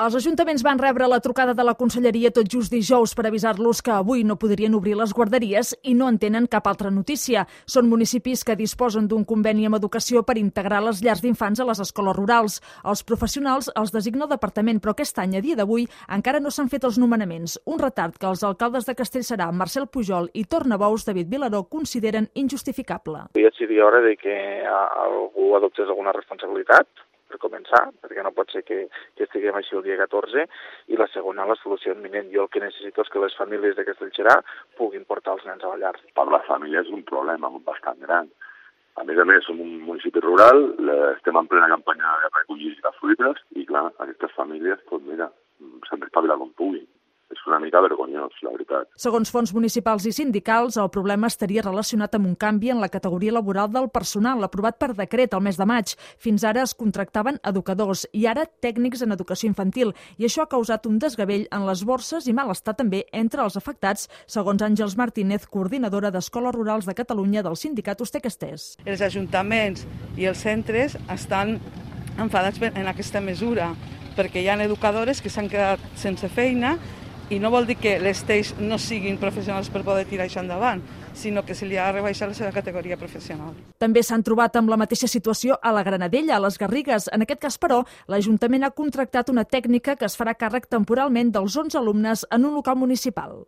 Els ajuntaments van rebre la trucada de la Conselleria tot just dijous per avisar-los que avui no podrien obrir les guarderies i no en tenen cap altra notícia. Són municipis que disposen d'un conveni amb Educació per integrar les llars d'infants a les escoles rurals. Els professionals els designa el departament, però aquest any, a dia d'avui, encara no s'han fet els nomenaments. Un retard que els alcaldes de Castellserà, Marcel Pujol i Tornabous, David Vilaró, consideren injustificable. Ja seria hora de que algú adoptés alguna responsabilitat, per començar, perquè no pot ser que estiguem així el dia 14, i la segona, la solució imminent. Jo el que necessito és que les famílies de Castellserà puguin portar els nens a la llar. Per la família és un problema bastant gran. A més, som un municipi rural, estem en plena campanya de recollir de fruites, i clar, aquestes famílies, doncs mira, s'han d'espavilar com puguin. És una mica vergonyós, la veritat. Segons fons municipals i sindicals, el problema estaria relacionat amb un canvi en la categoria laboral del personal, aprovat per decret el mes de maig. Fins ara es contractaven educadors i ara tècnics en educació infantil, i això ha causat un desgavell en les borses i malestar també entre els afectats, segons Àngels Martínez, coordinadora d'Escoles Rurals de Catalunya del sindicat Ustek-Estès. Els ajuntaments i els centres estan enfadats en aquesta mesura, perquè hi ha educadores que s'han quedat sense feina. I no vol dir que les TEIs no siguin professionals per poder tirar això endavant, sinó que se li ha rebaixat la seva categoria professional. També s'han trobat amb la mateixa situació a la Granadella, a les Garrigues. En aquest cas, però, l'Ajuntament ha contractat una tècnica que es farà càrrec temporalment dels 11 alumnes en un local municipal.